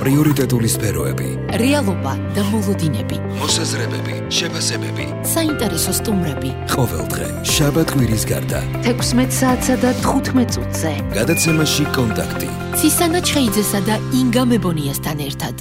პრიორიტეტული სფეროები, რეალობა და მოლოდინები, მოსაზრებები, შეფასებები, საინტერესო სტუმრები. ყოველდღე შაბათ-კვირის გარდა 16 საათსა და 15 წუთზე გადაცემაში კონტაქტი ცისანა ჩხეიძესა და ინგა მებონიასთან ერთად.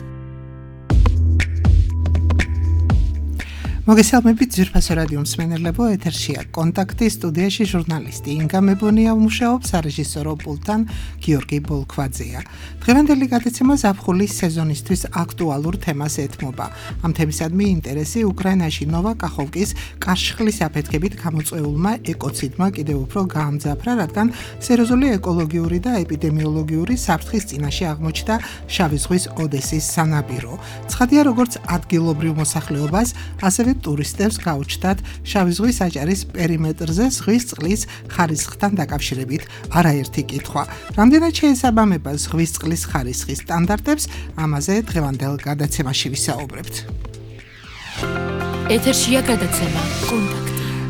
მოგესალმებით ძვირფასო რადიო მსმენელებო, ეთერშია კონტაქტი, სტუდიაში ჟურნალისტი ინგა მებონია მუშაობს, რეჟისორო პულტთან გიორგი ბოლქვაძეა. დღევანდელი გადაცემა ზაფხულის სეზონისთვის აქტუალურ თემას ეთმობა. ამ თემისადმი ინტერესი უკრაინაში ნოვა კახოვკის კარშხლის აფეთქებით გამოწვეულმა ეკოციდმა კიდევ უფრო გაამძაფრა, რადგან სერიოზული ეკოლოგიური და ეპიდემიოლოგიური საფრთხის წინაშე აღმოჩნდა შავი ზღვის ოდესის სანაპირო. ცხადია, როგორც ადგილობრივ მოსახლეობას, ასევე ტურისტებს გაუჩნდათ შავი ზღვის აჭარის პერიმეტრზე ზღვის წყლის ხარისხთან დაკავშირებით არაერთი კითხვა. რამდენად შეესაბამება ზღვის წყლის ხარისხის სტანდარტებს, ამაზე დღევანდელ გადაცემაში ვისაუბრებთ. ეთერშია გადაცემა კონტაქტი.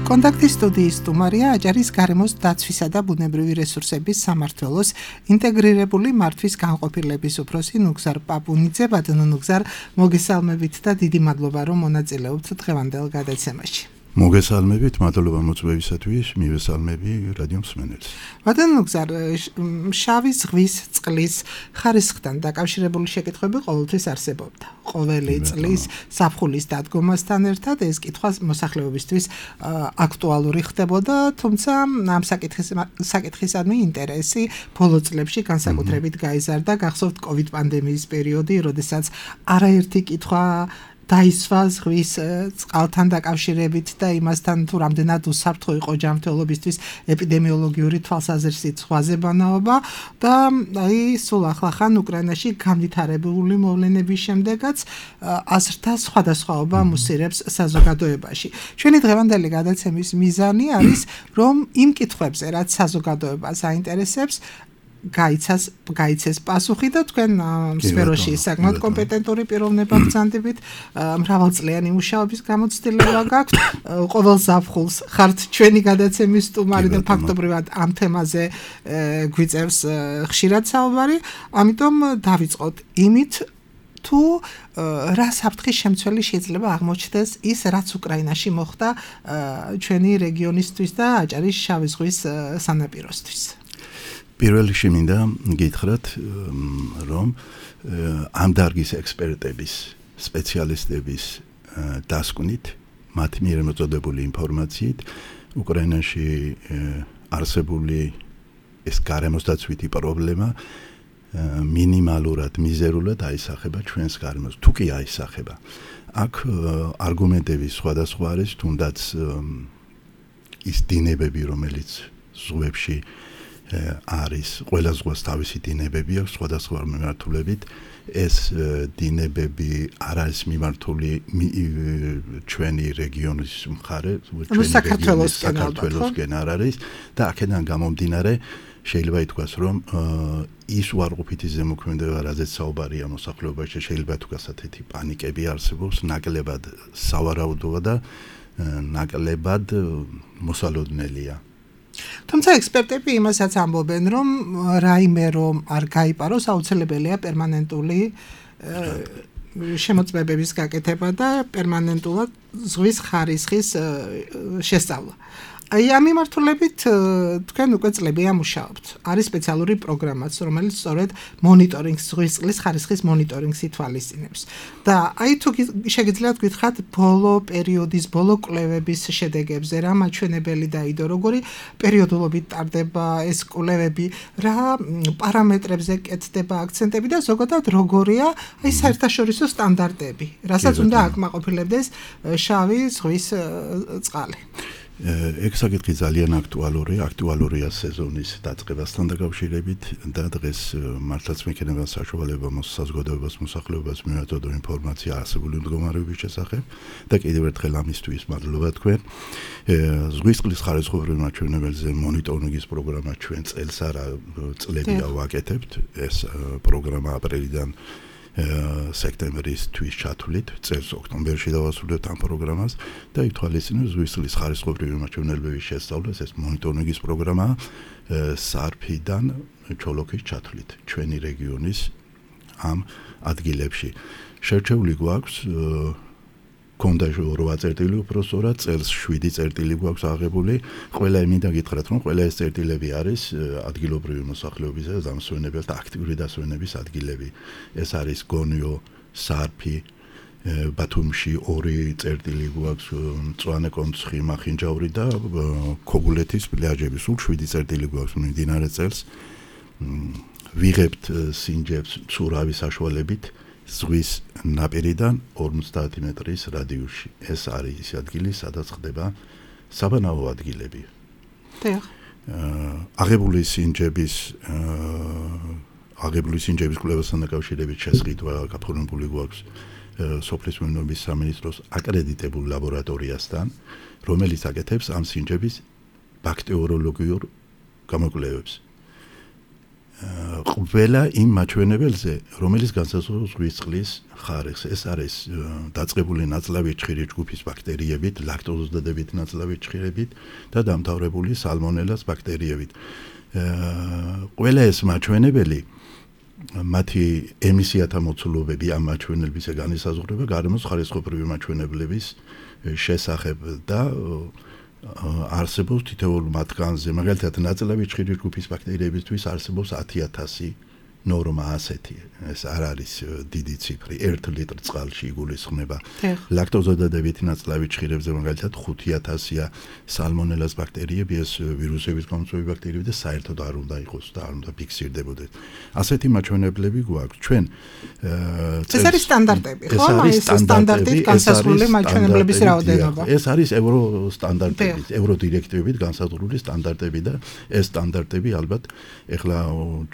კონტაქტის სტუდიის სტუმარია აჭარის გარემოს დაცვისა და ბუნებრივი რესურსების სამმართველოს ინტეგრირებული მართვის განყოფილების უფროსი ნუგზარ პაპუნიძე. ბატონო ნუგზარ, მოგესალმებით და დიდი მადლობა, რომ მონაწილეობთ დღევანდელ გადაცემაში. მოგესალმებით, მადლობა მოწვევისათვის, მივესალმები რადიო მსმენელს. ბატონო ნუგზარ, შავი ზღვის წყლის ხარისხთან დაკავშირებული შეკითხვები ყოველთვის არსებობდა. ყოველი წლის ზაფხულის დადგომასთან ერთად ეს კითხვა მოსახლეობისთვის აქტუალური ხდებოდა, თუმცა ამ საკითხისადმი ინტერესი ბოლო წლებში განსაკუთრებით გაიზარდა. გახსოვთ COVID პანდემიის პერიოდი, როდესაც არაერთი კითხვა დაისვა ზღვის წყალთან დაკავშირებით და იმასთან თუ რამდენად უსაფრთხო იყო ჯანმრთელობისთვის ეპიდემიოლოგიური თვალსაზრისით ზღვაზე ბანაობა და სულ ახლახან უკრაინაში განვითარებული მოვლენების შემდეგაც აზრთა სხვადასხვაობა მუსირებს საზოგადოებაში. ჩვენი დღევანდელი გადაცემის მიზანი არის, რომ იმ კითხვებზე, რაც საზოგადოებას აინტერესებს, გაიცეს პასუხი და თქვენ სფეროში საკმაოდ კომპეტენტური პიროვნება ბრძანდებით, მრავალწლიანი მუშაობის გამოცდილება გაქვთ. ყოველ ზაფხულს ხართ ჩვენი გადაცემის სტუმარი და ფაქტობრივად ამ თემაზე გვიწევს ხშირად საუბარი. ამიტომ დავიწყოთ იმით, თუ რა საფრთხის შემცველი შეიძლება აღმოჩნდეს ის, რაც უკრაინაში მოხდა ჩვენი რეგიონისთვის და აჭარის შავი ზღვის სანაპიროსთვის. პირველ რიგში მინდა გითხრათ, რომ ამ დარგის ექსპერტების, სპეციალისტების დასკვნით, მათ მიერ მოწოდებული ინფორმაციით, უკრაინაში არსებული ეს გარემოსდაცვითი პრობლემა მინიმალურად, მიზერულად აისახება ჩვენს გარემოს, თუ კი აისახება. აქ არგუმენტები სხვადასხვა არის, თუნდაც ის დინებები, რომელიც ზღვებში არის, ყველა ზღვას თავისი დინებები აქვს სხვადასხვა მიმართულებით. ეს დინებები არ არის მიმართული ჩვენი რეგიონის მხარე, საქართველოსკენ არ არის და აქედან გამომდინარე შეიძლება ითქვას, რომ ის უარყოფითი ზემოქმედება, რაზეც საუბარია მოსახლეობაში, შეიძლება ითქვას, ასეთი პანიკები არსებობს, ნაკლებად სავარაუდოა და ნაკლებად მოსალოდნელია. თუმცა ექსპერტები იმასაც ამბობენ, რომ რაიმე რომ არ გაიპაროს, აუცილებელია პერმანენტული შემოწმებების გაკეთება და პერმანენტულად ზღვის ხარისხის შესწავლა. ამ მიმართულებით თქვენ უკვე წლებია მუშაობთ. არის სპეციალური პროგრამაც, რომელიც სწორედ მონიტორინგს, ზღვის წყლის ხარისხის მონიტორინგს ითვალისწინებს. და თუ შეგიძლიათ გითხრათ ბოლო პერიოდის, ბოლო კვლევების შედეგებზე, რა მაჩვენებელი დაიდო, როგორი პერიოდულობით ტარდება ეს კვლევები, რა პარამეტრებზე კეთდება აქცენტები და ზოგადად როგორია საერთაშორისო სტანდარტები, რასაც უნდა აკმაყოფილებდეს შავი ზღვის წყალი. ეგ საკითხი ძალიან აქტუალურია სეზონის დაწყებასთან დაკავშირებით და დღეს მართლაც მექნება საშუალება საზოგადოებას, მოსახლეობას მიაწოდო ინფორმაცია არსებული მდგომარეობის შესახებ და კიდევ ერთხელ ამისთვის მადლობა თქვენ. ზღვის წყლის ხარისხობრივ მაჩვენებელზე მონიტორინგის პროგრამა ჩვენ წელს არა წლებია ვაკეთებთ. ეს პროგრამა აპრილიდან სექტემბრის ჩათვლით, წელს ოქტომბერში დავასრულებთ ამ პროგრამას და ითვალისწინებს ზღვის წყლის ხარისხობრივი მაჩვენებელების შესწავლას. ეს მონიტორინგის პროგრამა სარფიდან ჩოლოქის ჩათვლით ჩვენი რეგიონის ამ ადგილებში. შერჩეული გვაქვს კონდა 8 წერტილი უბრალოდ წელს 7 წერტილი გვაქვს აღებული. ყველა მინდა გითხრათ, რომ ყველა ეს წერტილები არის ადგილობრივი მოსახლეობისა და დამსვენებელთა აქტიური დასვენების ადგილები. ეს არის გონიო, სარფი, ბათუმში 2 წერტილი გვაქვს, მწვანე კონცხი, მახინჯაური და ქოგულეთის პლაჟები. სულ 7 წერტილი გვაქვს მიმდინარე წელს. ვიღებთ სინჯებს მცურავი საშუალებით ზღვის ნაპირიდან 50 მეტრის რადიუსში. ეს არის ის ადგილი, სადაც ხდება საბანაო ადგილები. აღებული სინჯების კვლევასთან დაკავშირებით შესყიდვა გაფორმებული გვაქვს სოფლის მეურნეობის სამინისტროს აკრედიტებულ ლაბორატორიასთან, რომელიც აკეთებს ამ სინჯების ბაქტერიოლოგიურ გამოკვლევებს. ყველა იმ მაჩვენებელზე, რომელიც განსაზღვრავს ზღვის წყლის ხარისხს. ეს არის დაწყებული ნაწლავი ჭხირი ჯგუფის ბაქტერიებით, ლაქტოზის დადებითი ნაწლავი ჭხირებით და დამთავრებული სალმონელას ბაქტერიებით. ყველა ეს მაჩვენებელი მათი ემისიათა მოცულობები ამ მაჩვენებებზე განისაზღვრება გარემოს ხარისხობრივი მაჩვენებლების შესახებ და არსებობს თითოეულ მათგანზე, მაგალითად ნაწლავი ჭხირი ჯგუფის ბაქტერიებისთვის არსებობს 10,000 ნორმა ასეთი. ეს არ არის დიდი ციფრი, 1 ლიტრ წყალში იგულისხმება. ლაქტოზის დადებითი ნაწლავი ჭხირებზე მაგალითად 5,000-ია სალმონელას ბაქტერიები, ეს ვირუსების გამომწვევი ბაქტერიები და საერთოდ არ უნდა იყოს და არ უნდა ფიქსირდებოდეს. ასეთი მაჩვენებლები გვაქვს. ჩვენ ეს არის სტანდარტები, ხო? ეს სტანდარტით განსაზღვრული მაჩვენებლების რაოდენობა. ეს არის ევრო სტანდარტებით, ევრო დირექტივებით განსაზღვრული სტანდარტები და ეს სტანდარტები ალბათ ეხლა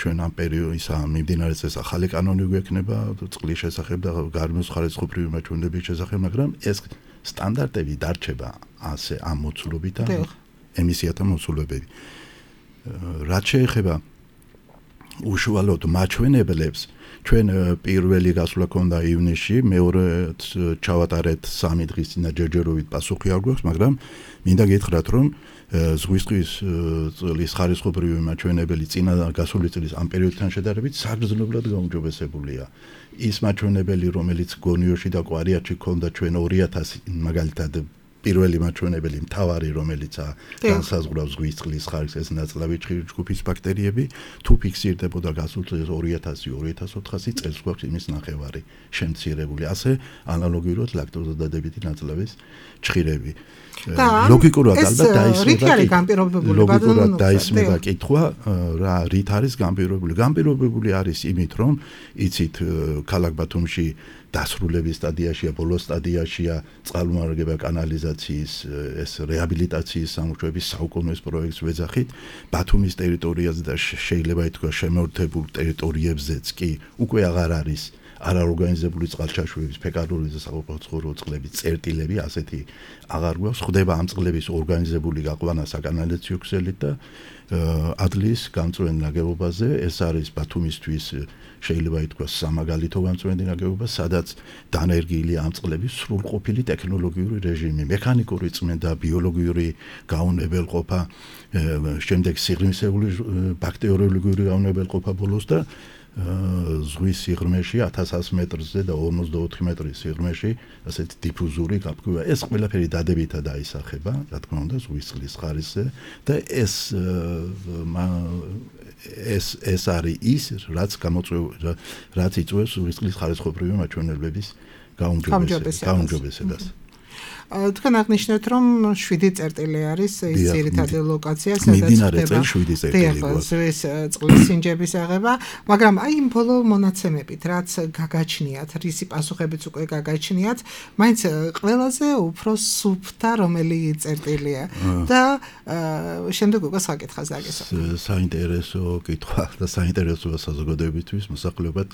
ჩვენ ამ პერიოდის მიმდინარე წელს ახალი კანონი გვექნება წყლის შესახებ და გარემოს ხარისხობრივი მაჩვენებლების შესახებ, მაგრამ ეს სტანდარტები დარჩება ასე ამ მოცულობით და ემისიათა მოცულობები. რაც შეეხება უშუალოდ მაჩვენებლებს, ჩვენ პირველი გასვლა ქონდა ივნისში, მეორეც ჩავატარეთ 3 დღის წინა ჯერჯერობით პასუხი არ გვაქვს, მაგრამ მინდა გითხრათ, რომ ზღვის წყლის ხარისხობრივი მაჩვენებელი წინა გასული წლის ამ პერიოდთან შედარებით საგრძნობლად გაუმჯობესებულია. ის მაჩვენებელი, რომელიც გონიოში და კვარიატში ქონდა ჩვენ 2000 მაგალითად პირველი მაჩვენებელი მთავარი, რომელიც განსაზღვრავს ზღვის წყლის ხარისხს, ეს ნაწლავი ჭხირი ჯგუფის ბაქტერიები, თუ ფიქსირდებოდა გასულ წელს 2000-2400 წელს გვაქვს იმის ნახევარი შემცირებული. ასე ანალოგიურად ლაქტოზის დადებითი ნაწლავის ჭხირები. ლოგიკურად ალბათ დაისმება კითხვა, რა რით არის განპირობებული. განპირობებული არის იმით, რომ იცით ქალაქ ბათუმში დასრულების სტადიაშია, ბოლოს სტადიაშია წყალმომარაგება კანალიზაციის, ეს რეაბილიტაციის სამუშაოების საუკუნეის პროექტს ვეძახით. ბათუმის ტერიტორიაზე და შეიძლება ითქვას შემოერთებულ ტერიტორიებზეც კი უკვე აღარ არის არაორგანიზებული წყალჩაშუების, ფეკარული და საყოფაცხოვრო წყლების წერტილები, ასეთი აღარ გვაქვს. ხდება ამ წყლების ორგანიზებული გაყვანა საკანალიზაციო ქსელით და ადლის გამწვენ ნაგებობაზე. ეს არის ბათუმისთვის შეიძლება ითქვას სამაგალითო გამწვენი ნაგებობა, სადაც დანერგილია ამ წყლების სრულყოფილი ტექნოლოგიური რეჟიმი, მექანიკური წმენდა, ბიოლოგიური გაუნებელყოფა, შემდეგ სიღრმისეული ბაქტერიოლოგიური გაუნებელყოფა ბოლოს და ზღვის სიღრმეში 1100 მეტრზე და 54 მეტრის სიღრმეში ასეთი დიფუზური გაფრქვევა. ეს ყველაფერი დადებითად დაისახება, რა თქმა უნდა, ზღვის წყლის ხარისხზე და ეს არის ის, რაც იწვევს ზღვის წყლის ხარისხობრივი მაჩვენებლების გაუმჯობესებას. თქვენ აღნიშნეთ, რომ 7 წერტილი არის ის ძირითადი ლოკაცია, სადაც ხდება ზღვის წყლის სინჯების აღება, მაგრამ აი იმ ბოლო მონაცემებით, რაც გაგაჩნიათ, რისი პასუხებიც უკვე გაგაჩნიათ, მაინც ყველაზე უფრო სუფთა რომელი წერტილია და შემდეგ უკვე საკითხას დაგესვათ. საინტერესო კითხვა და საინტერესო საზოგადოებისთვის მოსახლეობად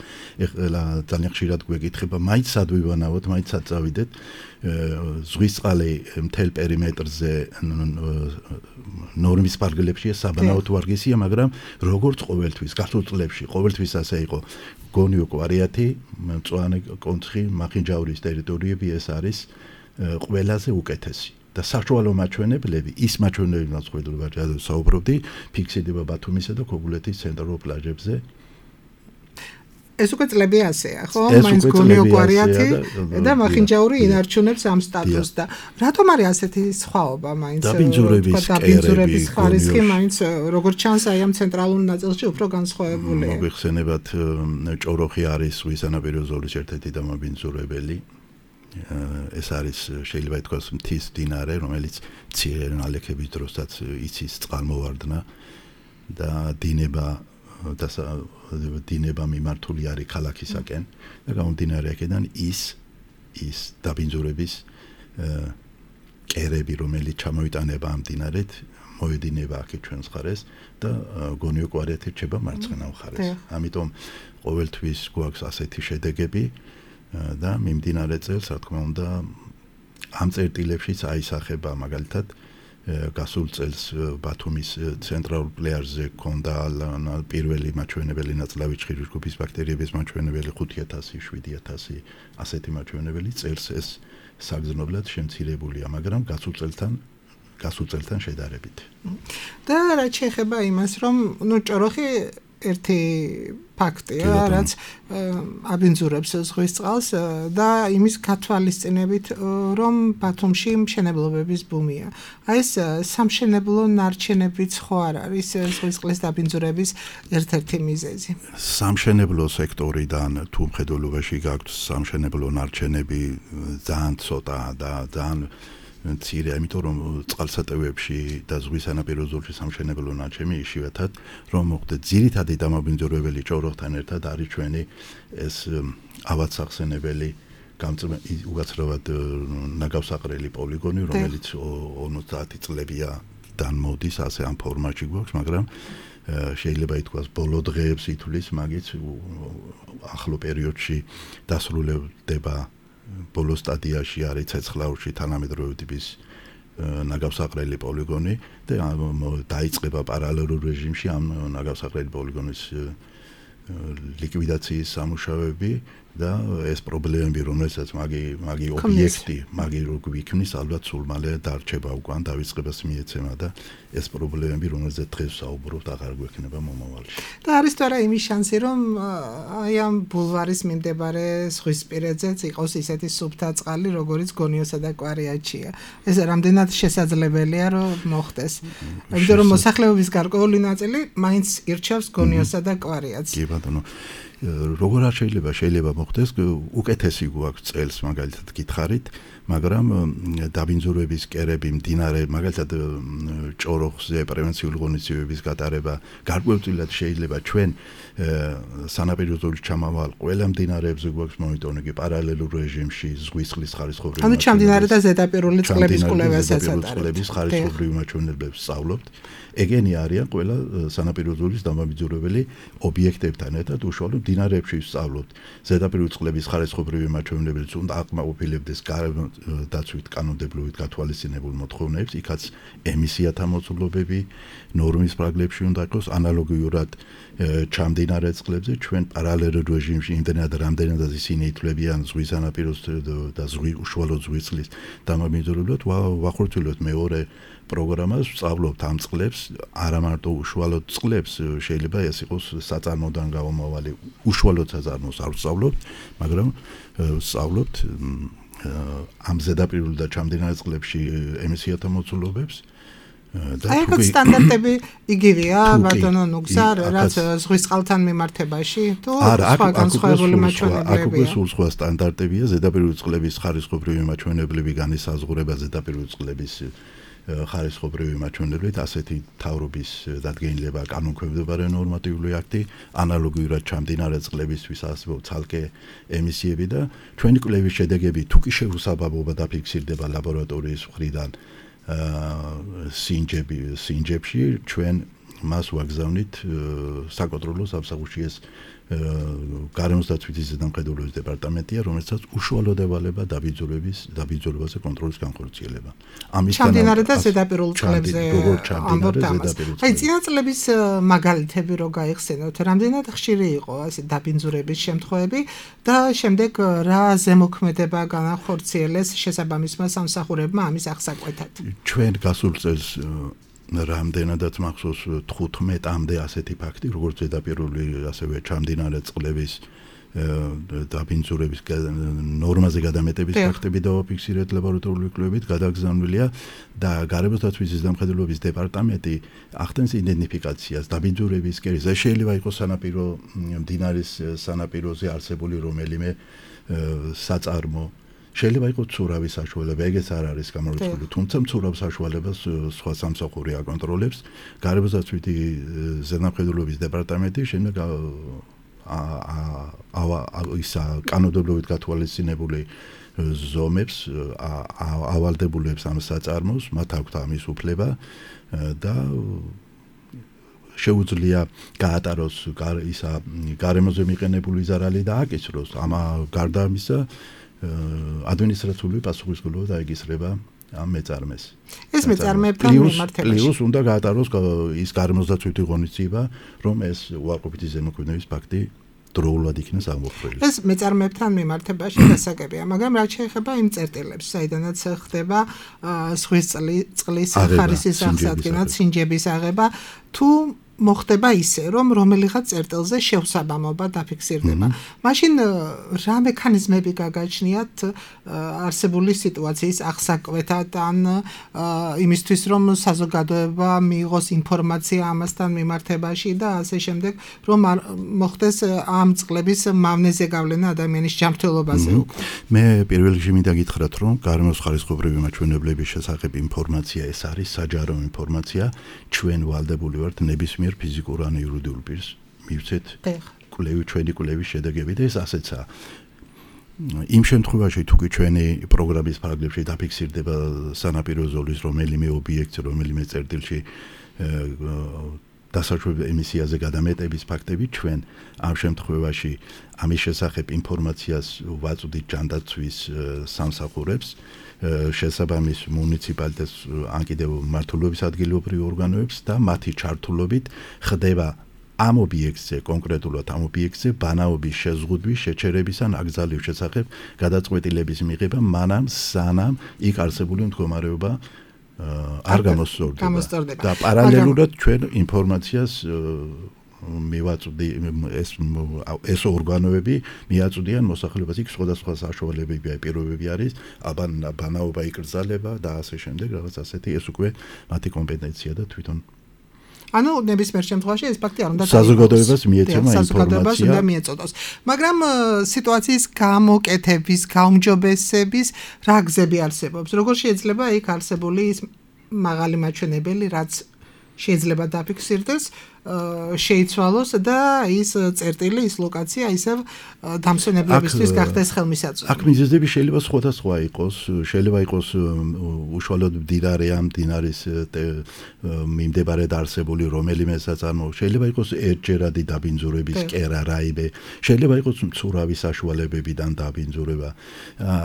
ეხლა ძალიან ხშირად გვეკითხება, მაინც სად ვივანავოთ, მაინც სად წავიდეთ. ზღვის წყალი მთელ პერიმეტრზე ნორმის ფარგლებში საბანაოდ ვარგისია, მაგრამ როგორც ყოველთვის გასულ წლებში ყოველთვის ასე იყო. გონიო, კვარიატი, მწვანე კონცხი, მახინჯაურის ტერიტორიები ეს არის ყველაზე უკეთესი. და საშუალო მაჩვენებლები, ის მაჩვენებლები, რაც საუბრობდი, ფიქსირდება ბათუმისა და ქოგულეთის ცენტრალურ პლაჟებზე. ეს უკვე წლები ასეა, ხო? მაინც გონიო კვარიათი და მახინჯაური ინარჩუნებს ამ სტატუსს და რატომ არის ასეთი სხვაობა მაინც დაბინძურების ხარისხი მაინც როგორც ჩანს აი ამ ცენტრალურ ნაწილში უფრო განსხვავებულია. მოიხსენებათ ჭოროხი არის ზღვის სანაპირო ზოლის ერთ-ერთი დამაბინძურებელი. ეს არის შეიძლება ითქვას მთის მდინარე, რომელიც მცირე ნალექების დროსაც იცის წყალმოვარდნა და დინება მიმართული არის ქალაქისაკენ და გამომდინარე აქედან ის დაბინძურების კერები, რომელიც ჩამოიტანება ამ მდინარეთ, მოედინება აქეთ ჩვენს მხარეს და გონიო კვარიათი რჩება მარცხენა მხარეს. ამიტომ ყოველთვის გვაქვს ასეთი შედეგები და მიმდინარე წელს, რა თქმა უნდა, ამ წერტილებშიც აისახება მაგალითად გასულ წელს ბათუმის ცენტრალურ პლეაჟზე ქონდა პირველი მაჩვენებელი ნაწლავი ჭხირის ჯგუფის ბაქტერიების მაჩვენებელი 5000, 7000 ასეთი მაჩვენებელი წელს ეს საგრძნობლად შემცირებულია, მაგრამ გასულ წელთან შედარებით. და რა შეეხება იმას, რომ ჭოროხი ერთი ფაქტია, რაც აბინძურებს ზღვის წყალს და იმის გათვალისწინებით, რომ ბათუმში მშენებლობების ბუმია. აი ეს სამშენებლო ნარჩენებიც ხო არ არის ზღვის წყლის დაბინძურების ერთ-ერთი მიზეზი? სამშენებლო სექტორიდან თუ მხედველობაში გაქვს სამშენებლო ნარჩენები ძალიან ცოტა და ძალიან მცირე, იმიტომ რომ წყალსატევებში და ზღვის სანაპირო ზოლში სამშენებლო ნარჩენი იშვიათად რომ მოხდეს ძირითადი დამაბინძურებელი ჭოროხთან ერთად არის ჩვენი ეს ავადსახსენებელი უკაცრავად ნაგავსაყრელი პოლიგონი, რომელიც 50 წლებიდან მოდის, ასე ამ ფორმატში გვაქვს, მაგრამ შეიძლება ითქვას ბოლო დღეებს ითვლის, მაგით ახლო პერიოდში დასრულდება ბოლო სტადიაში არის ცეცხლაურში თანამედროვე ტიპის ნაგავსაყრელი პოლიგონი და დაიწყება პარალელურ რეჟიმში ამ ნაგავსაყრელი პოლიგონის ლიკვიდაციის სამუშაოები და ეს პრობლემები, რომელსაც მაგი ობიექტი, გვიქმნის, ალბათ სულ მალე დარჩება უკან, დავიწყებას მიეცემა და ეს პრობლემები, რომელზეც დღეს საუბრობთ, აღარ გვექნება მომავალში. და არის თუ არა იმის შანსი, რომ აი ამ ბულვარის მიმდებარე ზღვისპირეთზეც იყოს ისეთი სუფთა წყალი, როგორც გონიოსა და კვარიათშია. ეს რამდენად შესაძლებელია, რომ მოხდეს. იმიტომ რომ მოსახლეობის გარკვეული ნაწილი მაინც ირჩევს გონიოსა და კვარიათს. კი ბატონო. როგორ არ შეიძლება მოხდეს, უკეთესი გვაქვს წელს მაგალითად გითხარით, მაგრამ დაბინძურების კერები მდინარე, მაგალითად ჭოროხზე პრევენციული ღონისძიებების გატარება გარკვეულწილად შეიძლება ჩვენ სანაპირო ზოლის ჩამავალ ყველა მდინარეებზე გვაქვს მონიტორინგი პარალელურ რეჟიმში ზღვის წყლის ხარისხობრივი ანუ ჩამდინარე და ზედაპირული წყლების კვლევასაც ატარებთ. წყლების ხარისხობრივი მაჩვენებლებს სწავლობთ. ეგენი არიან ყველა სანაპირო ზოლის დამაბინძურებელი ობიექტებთან ერთად უშუალოდ მდინარეებში ვსწავლობთ. ზედაპირული წყლების ხარისხობრივი მაჩვენებლებს უნდა აკმაყოფილებდეს დაცვით კანონმდებლობით გათვალისწინებულ მოთხოვნებს, იქაც ემისიათა მოცულობები, ნორმის პრაგლებში უნდა იყოს ანალოგიურად ჩამდინარე წყლებზე ჩვენ პარალელურ რეჟიმში იმდენად რამდენადაც ისინი ითვლებიან ზღვის სანაპიროს და უშუალოდ ზღვის წყლის დამაბინძურებლად ვახორციელებთ მეორე პროგრამას, ვსწავლობთ ამ წყლებს, არა მარტო უშუალოდ წყლებს, შეიძლება ეს იყოს საწარმოდან გამომავალი უშუალოდ საწარმოს არ ვსწავლობთ, მაგრამ ვსწავლობთ ამ ზედაპირული და ჩამდინარე წყლებში ემისიათა მოცულობებს და აი ეს სტანდარტები იგივეა ბატონო ნუგზარ, რაც ზღვის წყალთან მიმართებაში თუ სხვა განსხვავებული მაჩვენებლებია? აქ უკვე სულ სხვა სტანდარტებია, ზედაპირული წყლების ხარისხობრივი მაჩვენებლები განისაზღვრება ზედაპირული წყლების ხარისხობრივი მაჩვენებლით, ასეთი მთავრობის დადგენილება კანონქვემდებარე ნორმატიული აქტი, ანალოგიურად ჩამდინარე წყლებისთვის არსებობს ცალკე ემისიები და ჩვენი კვლევის შედეგები თუ კი შეუსაბამობა დაფიქსირდება ლაბორატორიის მხრიდან სინჯებში, ჩვენ მას ვაგზავნით საკონტროლო სამსახურში ეს გარემოსდაცვითი ზედამხედველობის დეპარტამენტია, რომელსაც უშუალოდ ევალება დაბინძურებაზე კონტროლის განხორციელება. ჩამდინარე და ზედაპირულ წყლებზე ამბობთ ამას. აი წინა წლების მაგალითები რო გაიხსენოთ, რამდენად ხშირი იყო ასე დაბინძურების შემთხვევები და შემდეგ რა ზემოქმედება განახორციელეს შესაბამისმა სამსახურებმა ამის აღსაკვეთად? ჩვენ გასულ წელს რამდენადაც მახსოვს 15-მდე ასეთი ფაქტი, როგორც ზედაპირული, ასევე ჩამდინარე წყლების დაბინძურების ნორმაზე გადამეტების ფაქტები დავაფიქსირეთ ლაბორატორიული კვლევებით, გადაგზავნილია და გარემოს დაცვის ზედამხედველობის დეპარტამენტი ახდენს იდენტიფიკაციას დაბინძურების კერის. ეს შეიძლება იყოს სანაპირო მდინარის სანაპიროზე არსებული რომელიმე საწარმო. შეიძლება იყოს მცურავის საშუალება, ეგეც არ არის გამორიცხული, თუმცა მცურავ საშუალებას სხვა სამსახური აკონტროლებს. გარემოს დაცვითი ზედამხედველობის დეპარტამენტი შემდეგ ისა კანონმდებლობით გათვალისწინებული ზომებს ავალდებულებს ამ საწარმოს, მათ აქვთ ამის უფლება და შეუძლია გაატაროს ისა გარემოზე მიყენებული ზარალი და აკისროს. ამ გარდა ამისა ადმინისტრაციული პასუხისმგებლობა დაეკისრება ამ მეწარმეს. ეს მეწარმეებთან მიმართებაში. პლუს უნდა გაატაროს ის გარემოს დაცვითი ღონისძიება, რომ ეს უარყოფითი ზემოქმედების ფაქტი დროულად იქნას აღმოფხვრილი. ეს მეწარმეებთან მიმართებაში დასაგებია, მაგრამ რაც შეეხება იმ წერტილებს, საიდანაც ხდება ზღვის წყლის ხარისის აღსადგენად, სინჯების აღება, თუ მოხდება ისე, რომ რომელიღაც წერტილზე შევსაბამობა დაფიქსირდება. მაშინ რა მექანიზმები გაგაჩნიათ არსებული სიტუაციის აღსაკვეთად ან იმისთვის, რომ საზოგადოება მიიღოს ინფორმაცია ამასთან მიმართებაში და ასე შემდეგ, რომ მოხდეს ამ წყლების მავნეზე გავლენა ადამიანის ჯანმრთელობაზე. მე პირველ რიგში მინდა გითხრათ, რომ გარემოს ხარისხობრივი მაჩვენებლების შესახებ ინფორმაცია ეს არის საჯარო ინფორმაცია, ჩვენ ვალდებული ვართ ნებისმიერ ფიზიკურ ან იურიდიულ პირს მივცეთ ჩვენი კვლევის შედეგები და ეს ასეცაა. იმ შემთხვევაში თუ კი ჩვენი პროგრამის ფარგლებში დაფიქსირდება სანაპირო ზოლის რომელიმე ობიექტი, რომელიმე წერტილში დასაშვებ ემისიაზე გადამეტების ფაქტები, ჩვენ ამ შემთხვევაში ამის შესახებ ინფორმაციას ვაწვდით ჯანდაცვის სამსახურებს, შესაბამის მუნიციპალიტეტს ან კიდევ მმართველობის ადგილობრივ ორგანოებს და მათი ჩართულობით ხდება ამ ობიექტზე, კონკრეტულად ამ ობიექტზე ბანაობის შეზღუდვის, შეჩერების ან აკრძალვის შესახებ გადაწყვეტილების მიღება მანამ სანამ იქ არსებული მდგომარეობა არ გამოსწორდება. და პარალელურად ჩვენ ინფორმაციას მივაწვდი ეს ორგანოები მიაწვდიან მოსახლეობას იქ სხვადასხვა საშუალებები პირობები არის, ბანაობა იკრძალება და ასე შემდეგ, რაღაც ასეთი ეს უკვე მათი კომპეტენცია და თვითონ ანუ ნებისმიერ შემთხვევაში ეს ფაქტი არ უნდა საზოგადოებას მიეცემა ინფორმაცია უნდა მიეწოდოს. მაგრამ სიტუაციის გამოკეთების, გაუმჯობესების რა გზები არსებობს? როგორ შეიძლება იქ არსებული ის მაღალი მაჩვენებელი, რაც შეიძლება დაფიქსირდეს, შეიცვალოს და ის წერტილი, ის ლოკაცია ისევ დამსვენებლებისთვის გახდეს ხელმისაწვდომი. აქ მიზეზები შეიძლება სხვადასხვა იყოს, შეიძლება იყოს უშუალოდ მდინარე ამ მდინარის მიმდებარედ არსებული რომელიმე საწარმო, შეიძლება იყოს ერთჯერადი დაბინძურების კერა რაიმე, შეიძლება იყოს მცურავი საშუალებებიდან დაბინძურება.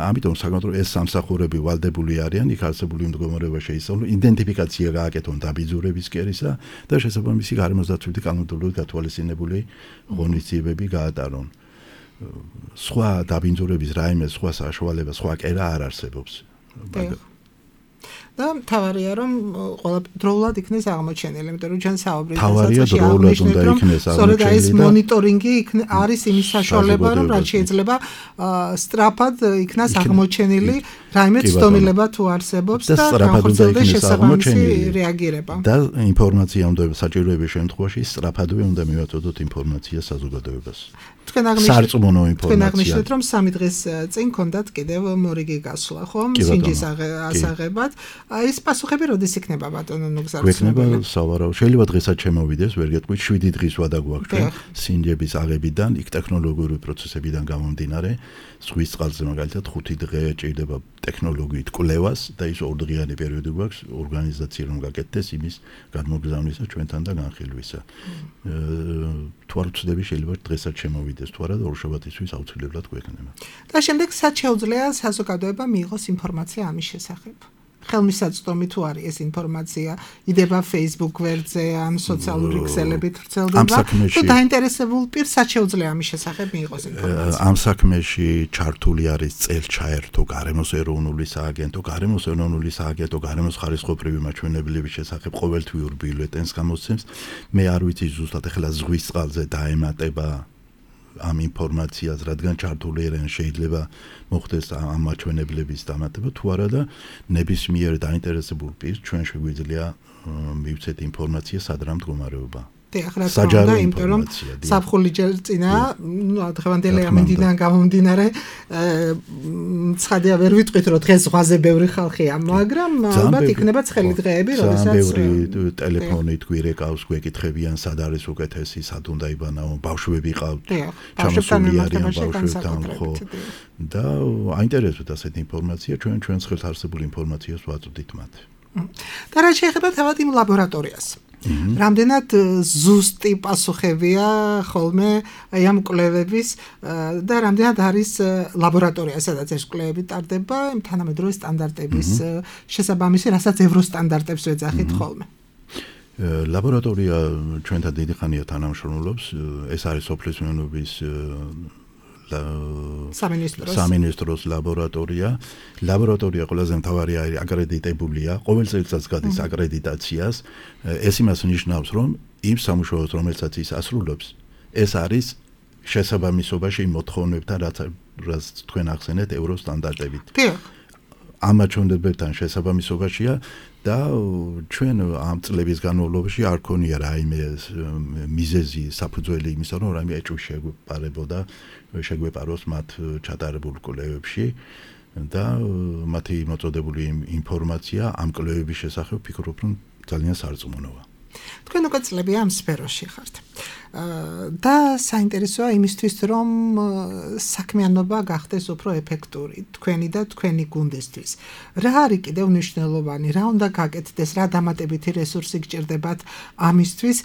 ამიტომ საკონტროლო ეს სამსახურები ვალდებული არიან იქ არსებული მდგომარეობა შეისწავლონ, იდენტიფიკაცია გააკეთონ დაბინძურების კერისა და შესაბამისი გარემოს დაცვითი კანონმდებლობით გათვალისწინებული ღონისძიებები გაატარონ. სხვა დაბინძურების რაიმე სხვა საშუალება, სხვა კერა არ არსებობს. და თავარია რომ ყველა დროულად იქნეს აღმოჩენილი, იმიტომ რომ ჩვენ საუბრობთ თავარია დროულად უნდა იქნეს აღმოჩენილი. სწორედ ეს მონიტორინგი არის იმის საშუალება, რომ რაც შეიძლება სწრაფად იქნას აღმოჩენილი რაიმე ცდომილება თუ არსებობს და განხორციელდეს შესაბამისი რეაგირება. და ინფორმაცია უნდა საჭიროების შემთხვევაში სწრაფადვე უნდა მივაწოდოთ ინფორმაცია საზოგადოებას. თქვენ აღნიშნეთ, რომ 3 დღის წინ ქონდათ კიდევ მორიგი გასვლა, ხომ? სინჯის ასაღებად. ეს პასუხები როდის იქნება ბატონო ნუგზარცნებელი? გვექნება სავარაუდო. შეიძლება დღესაც შემოვიდეს, ვერ გეტყვით, 7 დღის ვადა გვაქვს ჩვენ სინჯების აღებიდან, იქ ტექნოლოგიური პროცესებიდან გამომდინარე, ზღვის წყალზე მაგალითად 5 დღე ჭირდება ტექნოლოგიით კვლევას და ის 2 დღიანი პერიოდი გვაქვს ორგანიზაცია რომ გაკეთდეს იმის გადმოგზავნისა ჩვენთან და განხილვისა. თუ არ ვცდები შეიძლება დღესაც შემოვიდეს, თუ არა ორშაბათისთვის აუცილებლად გვექნება. და შემდეგ სად შეუძლია საზოგადოება მიიღოს ინფორმაცია ამის შესახებ? ხელმისაწვდომი თუ არის ეს ინფორმაცია, იდება Facebook გვერდზე ან სოციალური ქსელებით ვრცელდება, თუ დაინტერესებულ პირს სად შეუძლია ამის შესახებ მიიღოს ინფორმაცია? ამ საქმეში ჩართული არის წელჩაერთო გარემოს ეროვნული სააგენტო, გარემოს ეროვნული სააგენტო გარემოს ხარისხობრივი მაჩვენებლების შესახებ ყოველთვიურ ბიულეტენს გამოსცემს. მე არ ვიცი ზუსტად ეხლა ზღვის წყალზე დაემატება ამ ინფორმაციას, რადგან ჩართული არიან შეიძლება მოხდეს ამ მაჩვენებლების დამატება თუ არა და ნებისმიერ დაინტერესებულ პირს ჩვენ შეგვიძლია მივცეთ ინფორმაცია სად რა მდგომარეობა. საჯარო ინფორმაცია. საფხული ჯერ წინა, დღევანდელი ამინდიდან გამომდინარე, ცხადია ვერ ვიტყვით რომ დღეს ზღვაზე ბევრი ხალხია, მაგრამ ალბათ იქნება ცხელი დღეები, როდესაც ბევრი ტელეფონით გვირეკავს, გვეკითხებიან სად არის უკეთესი, სად უნდა იბანაო, ბავშვები ყავთ, ჩამოსული არიან ბავშვებთან, ხო. და აინტერესებთ ასეთი ინფორმაცია, ჩვენს ხელს არსებულ ინფორმაციას ვაწვდით მათ. და რა შეეხება თავად იმ ლაბორატორიას? რამდენად ზუსტი პასუხებია ხოლმე ამ კვლევების და რამდენად არის ლაბორატორია, სადაც ეს კვლევები ტარდება, თანამედროვე სტანდარტების შესაბამისი, რასაც ევროსტანდარტებს ვეძახით ხოლმე. ლაბორატორია ჩვენთან დიდი ხანია თანამშრომლობს, ეს არის სოფლის მეურნეობის სამინისტროს ლაბორატორია. ლაბორატორია ყველაზე მთავარი არის აკრედიტებულია, ყოველ წელიწადს გადის აკრედიტაციას. ეს იმას ნიშნავს, რომ იმ სამუშაოს, რომელსაც ის ასრულებს, ეს არის შესაბამისობაში იმ მოთხოვნებთან, რაც თქვენ ახსენეთ ევროსტანდარტებით. ამ მაჩვენებლებთან შესაბამისობაშია და ჩვენ ამ წლების განმავლობაში არ ქონია რაიმე მიზეზი საფუძველი იმისა, რომ რაიმე ეჭვი შეგვეპაროს მათ ჩატარებულ კვლევებში და მათი მოწოდებული ინფორმაცია ამ კვლევების შესახებ ვფიქრობ, რომ ძალიან სარწმუნოა. თქვენ უკვე წლები ამ სფეროში ხართ. და საინტერესოა იმისთვის, რომ საქმიანობა გახდეს უფრო ეფექტური, თქვენი და თქვენი გუნდისთვის. რა არის კიდევ მნიშვნელოვანი, რა უნდა გაკეთდეს, რა დამატებითი რესურსი გჭირდებათ ამისთვის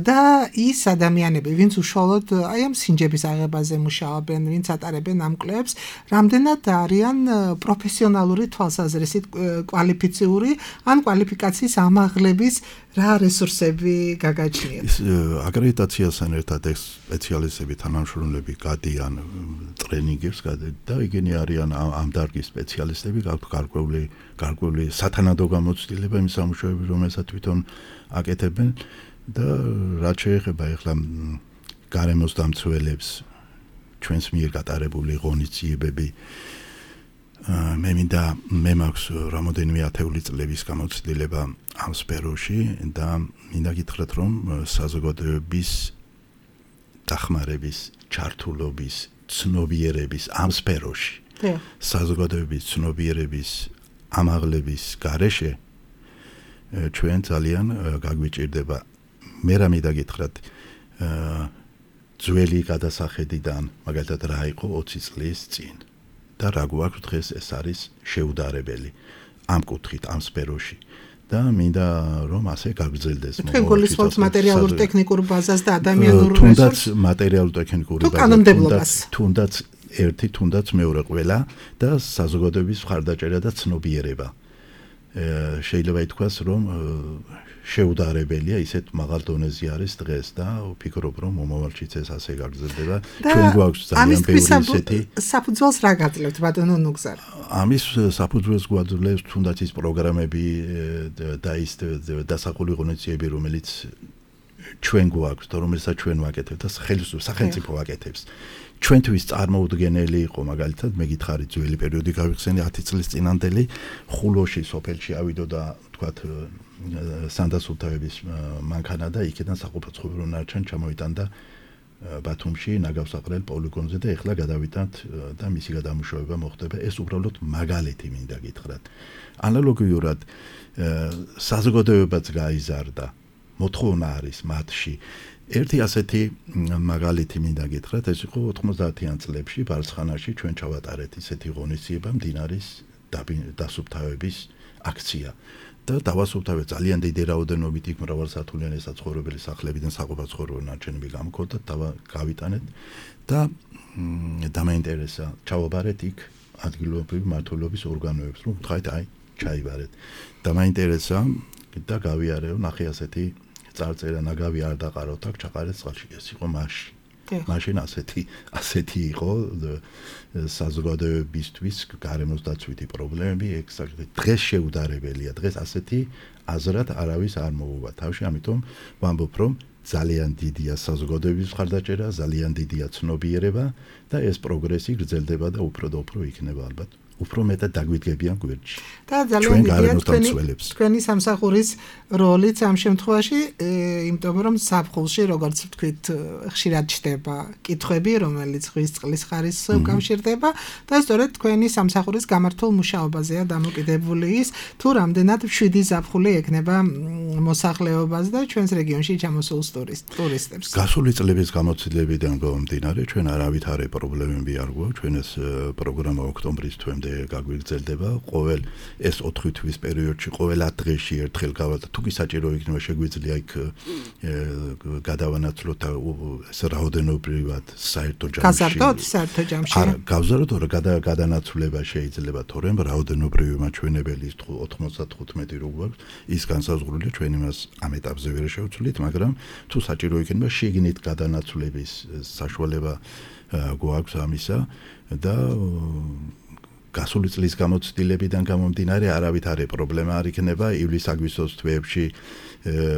და ის ადამიანები, ვინც უშუალოდ აი ამ სინჯების აღებაზე მუშაობენ, ვინც ატარებენ ამ კვლევებს, რამდენად არიან პროფესიონალური თვალსაზრისით კვალიფიციური, ან კვალიფიკაციის ამაღლების რა რესურსები გაგაჩნიათ? აკრედიტაციასთან ერთად ეს სპეციალისტები, თანამშრომლები გადიან ტრენინგებს და იგენი არიან ამ დარგის სპეციალისტები, გარკვეული სათანადო გამოცდილება იმ სამუშაოების, რომელსაც თვითონ აკეთებენ და რაც შეეხება ახლა გარემოს დამცველებს, ჩვენს მიერ გატარებული ღონისძიებები, მე მაქვს რამოდენიმე ათეული წლების გამოცდილება ამ სფეროში და მინდა გითხრათ, რომ საზოგადოების დახმარების, ჩართულობის, ცნობიერების ამ სფეროში, საზოგადოების ცნობიერების ამაღლების გარეშე ჩვენ ძალიან გაგვიჭირდება. მე რა მინდა გითხრათ, ძველი გადასახედიდან, მაგალითად რა იყო 20 წლის წინ და რა გვაქვს დღეს, ეს არის შეუდარებელი ამ კუთხით, ამ სფეროში. და მინდა რომ ასე გაგრძელდეს. თქვენ გულისხმობთ მატერიალურ ტექნიკურ ბაზას და ადამიანურ რესურსს? თუნდაც მატერიალურ ტექნიკური ბაზას, თუნდაც ერთი, თუნდაც მეორე ყველა და საზოგადოების მხარდაჭერა და ცნობიერება. შეიძლება ითქვას, რომ შეუდარებელია, ისეთ მაღალ დონეზე არის დღეს და ვფიქრობ, რომ მომავალშიც ეს ასე გაგრძელდება. ჩვენ გვაქვს ძალიან ბევრი ისეთი. საფუძველს რა გაძლევთ, ბატონო ნუგზარ? ამის საფუძველს გვაძლევს თუნდაც ის პროგრამები და ის დასახული ღონისძიებები, რომელიც ჩვენ გვაქვს და რომელსაც ჩვენ ვაკეთებთ და სახელმწიფო ვაკეთებს. ჩვენთვის წარმოუდგენელი იყო, მაგალითად, მე გითხარით, ძველი პერიოდი გავიხსენე 10 წლის წინანდელი, ხულოში სოფელში ავიდო და თქვათ სანდასულთავების მანქანა და იქიდან საყოფაცხოვრებო ნარჩენ ჩამოიტანდა ბათუმში ნაგავსაყრელ პოლიგონზე და ეხლა გადავიტანთ და მისი გადამუშავება მოხდება. ეს უბრალოდ მაგალითი მინდა გითხრათ. ანალოგიურად საზოგადოებაც გაიზარდა, მოთხოვნა არის მათში. ერთი ასეთი მაგალითი მინდა გითხრათ, ეს იყო 90-იან წლებში ბარცხანაში ჩვენ ჩავატარეთ ისეთი ღონისძიება, მდინარის დასუფთავების აქცია. და დავასუფთავეთ ძალიან დიდი რაოდენობით იქ მრავალსართულიანი საცხოვრებელი სახლებიდან საყოფაცხოვრებო ნარჩენები გამქონდათ, გავიტანეთ და დამაინტერესა, ჩავაბარეთ იქ ადგილობრივი მმართველობის ორგანოებს, რომ ვთქვათ, აი, ჩაიბარეთ. დამაინტერესა და გავიარე, ნახე ასეთი წარწერა, ნაგავი არ დაყაროთ აქ, ჩაყარეთ წყალში. ეს იყო მაშინ ასეთი იყო საზოგადოებისთვის გარემოს დაცვითი პრობლემები, დღეს შეუდარებელია, დღეს ასეთი აზრად არავის არ მოუვა თავში, ამიტომ ვამბობ, რომ ძალიან დიდია საზოგადოების მხარდაჭერა, ძალიან დიდია ცნობიერება და ეს პროგრესი გრძელდება და უფრო და უფრო იქნება ალბათ. უფრო მეტად დაგვიდგებიან გვერდში. და ძალიან დიდია თქვენი სამსახურის როლიც ამ შემთხვევაში, იმიტომ რომ საფხულში, როგორც ვთქვით, ხშირად ჩდება კითხვები, რომელიც ზღვის წყლის ხარისხს უკავშირდება და სწორედ თქვენი სამსახურის გამართულ მუშაობაზეა დამოკიდებული ის, თუ რამდენად 7 ზაფხული ექნება მოსახლეობას და ჩვენს რეგიონში ჩამოსულ ტურისტებს. გასული წლების გამოცდილებიდან გამომდინარე, ჩვენ არავითარი პრობლემები არ გვაქვს, ჩვენ ეს პროგრამა ოქტომბრის თვემდე გაგვიგრძელდება, ყოველ ეს 4 თვის პერიოდში, ყოველ 10 დღეში ერთხელ გავადა, თუ კი საჭირო იქნება შეგვიძლია იქ გადავანაცვლოთ ეს რაოდენობრივად საერთო ჯამში. გაზარდოთ საერთო ჯამში. არა, გავზარდოთ, რომ გადანაცვლება შეიძლება, თორემ რაოდენობრივი მაჩვენებელი 95 რო გვაქვს, ის განსაზღვრულია, ჩვენ იმას ამ ეტაპზე ვერ შევცვლით, მაგრამ თუ საჭირო იქნება შიგნით გადანაცვლების საშუალება გვაქვს ამისა და გასული წლის გამოცდილებიდან გამომდინარე არავითარი პრობლემა არ იქნება ივლის-აგვისტოს თვეებში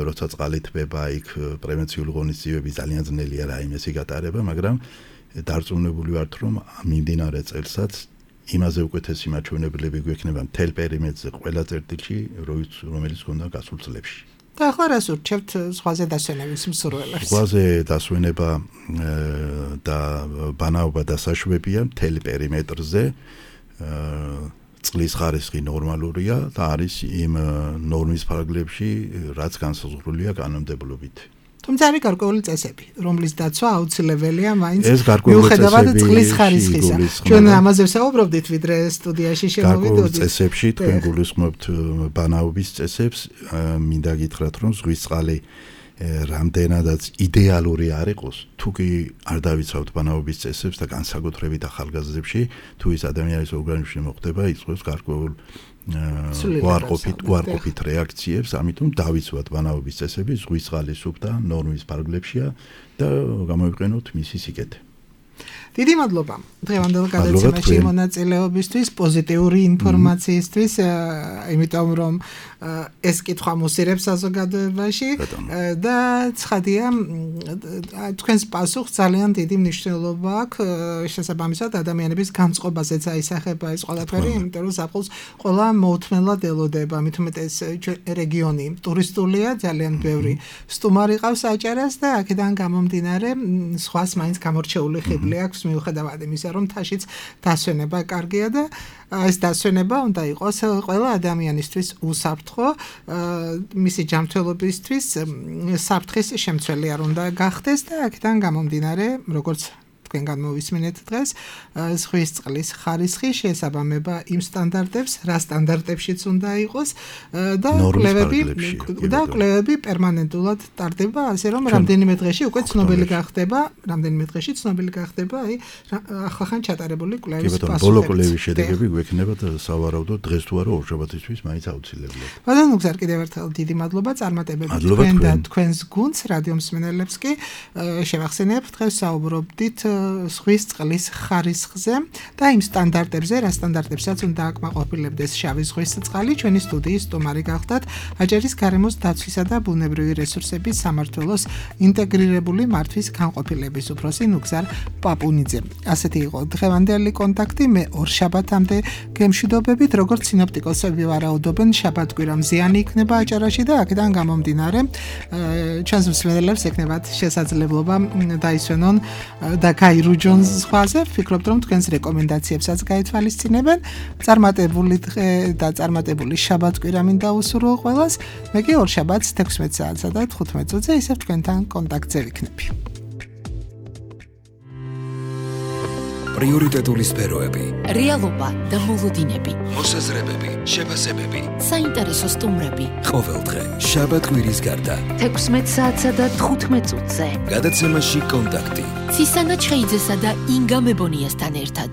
როცა წყალი თბება იქ პრევენციული ღონისძიებები ძალიან ძნელია რაიმესი გატარება მაგრამ დარწმუნებული ვართ რომ მიმდინარე წელსაც იმაზე უკეთესი მაჩვენებლები გვექნება მთელ პერიმეტრზე ყველა წერტილში რომელიც გქონდა გასულ წლებში და ახლა რას ურჩევთ ზღვაზე დასვენების მსურველებს? ზღვაზე დასვენება და ბანაობა დასაშვებია მთელ პერიმეტრზე წყლის ხარისხი ნორმალურია და არის იმ ნორმის ფარგლებში, რაც განსაზღვრულია კანონმდებლობით. თუმცა არის გარკვეული წესები, რომლის დაცვა აუცილებელია მაინც მიუხედავად წყლის ხარისხისა. ჩვენ ამაზე ვსაუბრობდით, ვიდრე სტუდიაში შევიდოდით. გარკვეულ წესებში თქვენ გულისხმობთ ბანაობის წესებს, მინდა გითხრათ, რომ ზღვის წყალი რამდენადაც იდეალური არ იყოს, თუ კი არ დავიცავთ ბანაობის წესებს და განსაკუთრებით ახალგაზრდებში, თუ ის ადამიანის ორგანიზმში მოხდება, იწვევს გარკვეულ უარყოფით რეაქციებს, ამიტომ დავიცვათ ბანაობის წესები, ზღვის წყალი სუფთა ნორმის ფარგლებშია და გამოვიყენოთ მისი სიკეთე. დიდი მადლობა დღევანდელ გადაცემაში მონაწილეობისთვის, პოზიტიური ინფორმაციისთვის, იმიტომ რომ ეს კითხვა მოსირებს საზოგადოებაში და ცხადია თქვენს პასუხს ძალიან დიდი მნიშვნელობა აქვს შესაბამისად ადამიანების განწყობაზეც აისახება ეს ყველაფერი, იმიტომ რომ საფხულს ყველა მოუთმენლად ელოდება, მით უმეტეს რეგიონი ტურისტულია, ძალიან ბევრი სტუმარი ყავს აჭარას და აქედან გამომდინარე სხვას მაინც გამორჩეული ხიბლი აქვს მიუხედავად იმისა, რომ თაშიც დასვენება კარგია და ეს დასვენება უნდა იყოს ყველა ადამიანისთვის უსაფრთხო, მისი ჯანმრთელობისთვის საფრთხის შემცველი არ უნდა გახდეს და აქედან გამომდინარე, როგორც თქვენ გამოვისმინეთ დღეს, ზღვის წყლის ხარისხი შეესაბამება იმ სტანდარტებს, რა სტანდარტებშიც უნდა იყოს და კვლევები პერმანენტულად ტარდება, ასე რომ რამდენიმე დღეში უკვე ცნობილი გახდება, აი ახლახან ჩატარებული კვლევის პასუხები. ბოლო კვლევის შედეგები გვექნება სავარაუდოდ დღეს თუ არა ორშაბათისთვის მაინც აუცილებლად. ბატონო გზარ კიდევ ერთხელ დიდი მადლობა წარმატებებით თქვენ და თქვენს გუნდს, რადიო მსმენელებს კი შევახსენებთ დღეს საუბრობდით ზღვის წყლის ხარისხზე და იმ სტანდარტებზე, რა სტანდარტებსაც უნდა აკმაყოფილებდეს შავი ზღვის წყალი, ჩვენი სტუდიის სტუმარი გახდათ აჭარის გარემოს დაცვისა და ბუნებრივი რესურსების სამმართველოს ინტეგრირებული მართვის განყოფილების უფროსი ნუგზარ პაპუნიძე. ასეთი იყო დღევანდელი კონტაქტი, მე ორ შაბათამდე გემშვიდობებით, როგორც სინოპტიკოსები ვარაუდობენ, შაბათ-კვირა მზიანი იქნება აჭარაში და აქედან გამომდინარე ჩვენს მსმენელებს ექნებათ შესაძლებლობა დაისვენონ და გაირუჯონ ზღვაზე, ვფიქრობთ, რომ თქვენს რეკომენდაციებსაც გაითვალისწინებენ. წარმატებული დღე და წარმატებული შაბათ-კვირა მინდა უსურვო ყველას. მე კი ორ შაბათს 16 საათსა და 15 წუთზე ისევ თქვენთან კონტაქტზე ვიქნები. პრიორიტეტული სფეროები, რეალობა და მოლოდინები, მოსაზრებები, შეფასებები, საინტერესო სტუმრები. ყოველ დღე შაბათ-კვირის გარდა 16 საათსა და 15 წუთზე. გადაცემაში კონტაქტი. ცისანა ჩხეიძესა და ინგა მებონიასთან ერთად.